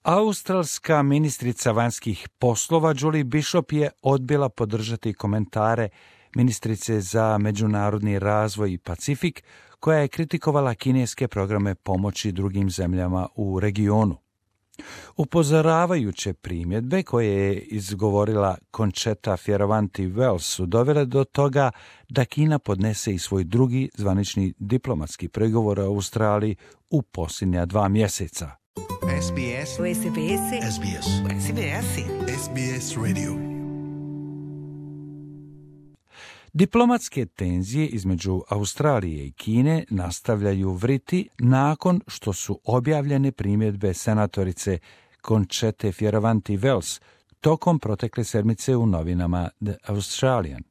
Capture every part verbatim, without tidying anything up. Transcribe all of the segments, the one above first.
Australska ministrica vanjskih poslova Julie Bishop je odbila podržati komentare ministrice za međunarodni razvoj i Pacifik, koja je kritikovala kineske programe pomoći drugim zemljama u regionu. Upozoravajuće primjedbe koje je izgovorila Conchetta Fierravanti-Wells su dovele do toga da Kina podnese i svoj drugi zvanični diplomatski pregovor u Australiji u posljednja dva mjeseca. S B S. S B S. S B S. S B S. S B S Radio. Diplomatske tenzije između Australije i Kine nastavljaju vriti nakon što su objavljene primjedbe senatorice Conchette Fierravanti-Wells tokom protekle sedmice u novinama The Australian.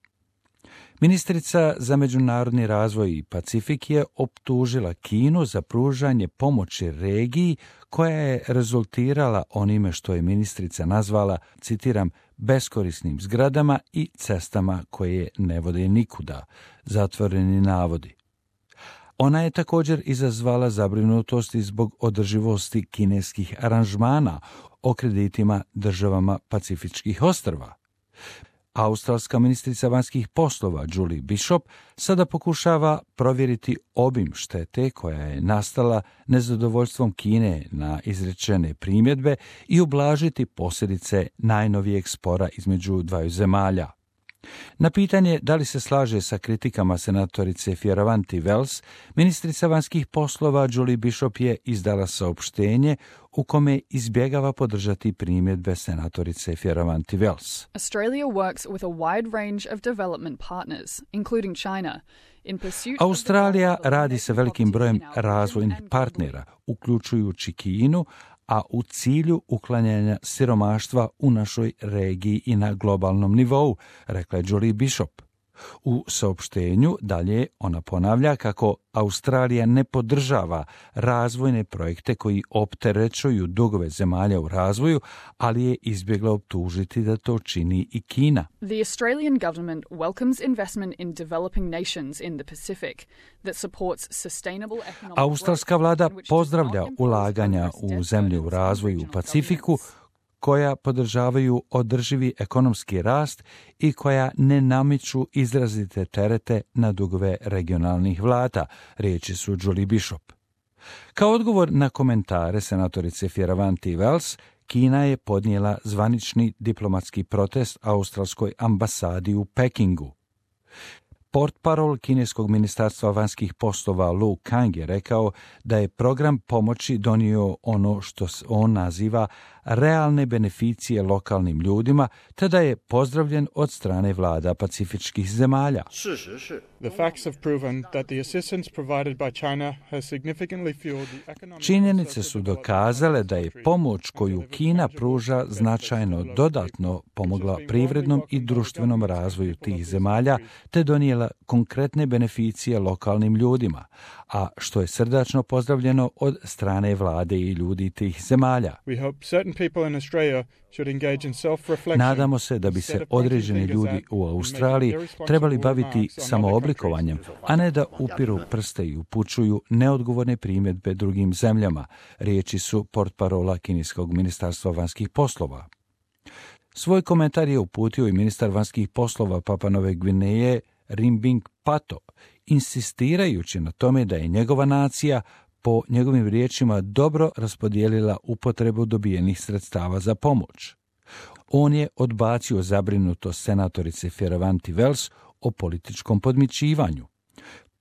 Ministrica za međunarodni razvoj i Pacifik je optužila Kinu za pružanje pomoći regiji koja je rezultirala onime što je ministrica nazvala, citiram, beskorisnim zgradama i cestama koje ne vode nikuda, zatvoreni navodi. Ona je također izazvala zabrinutost i zbog održivosti kineskih aranžmana o kreditima državama Pacifičkih ostrva. Australska ministrica vanjskih poslova Julie Bishop sada pokušava provjeriti obim štete koja je nastala nezadovoljstvom Kine na izrečene primjedbe i ublažiti posljedice najnovijeg spora između dvaju zemalja. Na pitanje da li se slaže sa kritikama senatorice Fierravanti-Wells, ministrica vanjskih poslova Julie Bishop je izdala saopštenje u kome izbjegava podržati primjedbe senatorice Fierravanti-Wells. Australia works with a wide range of development partners, including China. Australija radi sa velikim brojem razvojnih partnera, uključujući Kinu, a u cilju uklanjanja siromaštva u našoj regiji i na globalnom nivou, rekla je Julie Bishop. U saopštenju dalje ona ponavlja kako Australija ne podržava razvojne projekte koji opterećuju dugove zemalja u razvoju, ali je izbjegla optužiti da to čini i Kina. The Australian government welcomes investment in developing nations in the Pacific that supports sustainable economic growth. Australska vlada pozdravlja ulaganja u zemlje u razvoju u Pacifiku koja podržavaju održivi ekonomski rast i koja ne namiču izrazite terete na dugove regionalnih vlada, riječi su Julie Bishop. Kao odgovor na komentare senatorice Fierravanti-Wells, Kina je podnijela zvanični diplomatski protest australskoj ambasadi u Pekingu. Portparol kineskog ministarstva vanjskih poslova Lu Kang je rekao da je program pomoći donio ono što on naziva realne beneficije lokalnim ljudima, te da je pozdravljen od strane vlada pacifičkih zemalja. The facts have proven that the assistance provided by China has significantly fueled the economic. Činjenice su dokazale da je pomoć koju Kina pruža značajno dodatno pomogla privrednom i društvenom razvoju tih zemalja, te donijela konkretne beneficije lokalnim ljudima, a što je srdačno pozdravljeno od strane vlade i ljudi tih zemalja. We hope certain people in Australia should engage in self-reflection. Nadamo se da bi se određeni ljudi u Australiji trebali baviti samooblikovanjem, a ne da upiru prste i upućuju neodgovorne primjedbe drugim zemljama, riječi su portparola kineskog ministarstva vanjskih poslova. Svoj komentar je uputio i ministar vanjskih poslova Papua Nove Gvineje Rinbing Pato, insistirajući na tome da je njegova nacija po njegovim riječima dobro raspodijelila upotrebu dobijenih sredstava za pomoć. On je odbacio zabrinutost senatorice Fierravanti-Wells o političkom podmićivanju.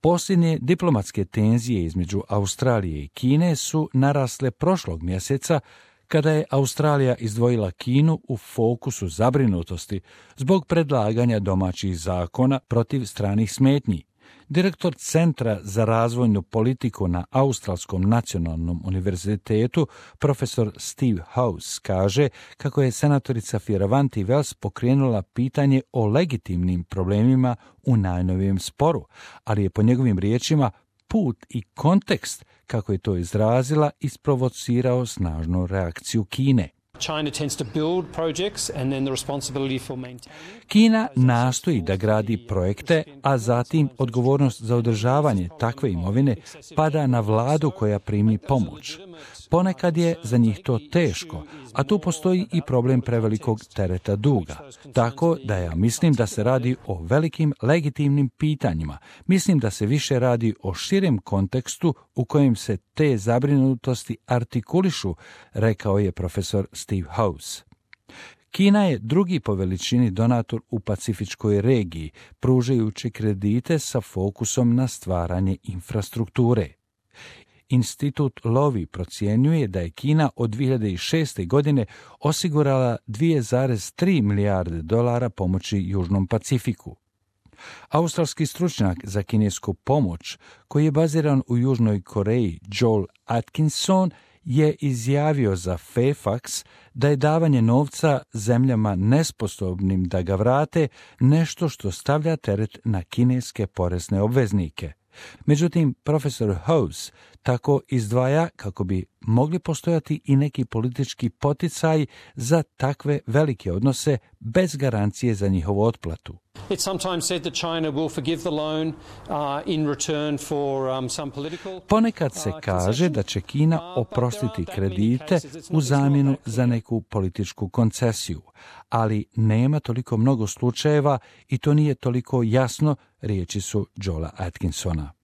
Posljednje diplomatske tenzije između Australije i Kine su narasle prošlog mjeseca kada je Australija izdvojila Kinu u fokusu zabrinutosti zbog predlaganja domaćih zakona protiv stranih smetnji. Direktor Centra za razvojnu politiku na Australskom nacionalnom univerzitetu, profesor Steve House, kaže kako je senatorica Fierravanti-Wells pokrenula pitanje o legitimnim problemima u najnovijem sporu, ali je po njegovim riječima put i kontekst, kako je to izrazila, isprovocirao snažnu reakciju Kine. China tends to build projects and then the responsibility for maintaining. Kina nastoji da gradi projekte, a zatim odgovornost za održavanje takve imovine pada na vladu koja primi pomoć. Ponekad je za njih to teško, a tu postoji i problem prevelikog tereta duga. Tako da ja mislim da se radi o velikim legitimnim pitanjima. Mislim da se više radi o širem kontekstu u kojem se te zabrinutosti artikulišu, rekao je profesor Steve House. Kina je drugi po veličini donator u pacifičkoj regiji, pružajući kredite sa fokusom na stvaranje infrastrukture. Institut Lowy procjenjuje da je Kina od dvije hiljade šeste. godine osigurala dvije zarez tri milijarde dolara pomoći Južnom Pacifiku. Australski stručnjak za kinesku pomoć, koji je baziran u Južnoj Koreji, Joel Atkinson, je izjavio za Fairfax da je davanje novca zemljama nesposobnim da ga vrate nešto što stavlja teret na kineske porezne obveznike. Međutim, profesor House tako izdvaja kako bi mogli postojati i neki politički poticaj za takve velike odnose bez garancije za njihovu otplatu. It's sometimes said that China will forgive the loan uh, in return for um, some political. Ponekad se kaže da će Kina oprostiti kredite u zamjenu za neku političku koncesiju, ali nema toliko mnogo slučajeva i to nije toliko jasno, riječi su Joela Atkinsona.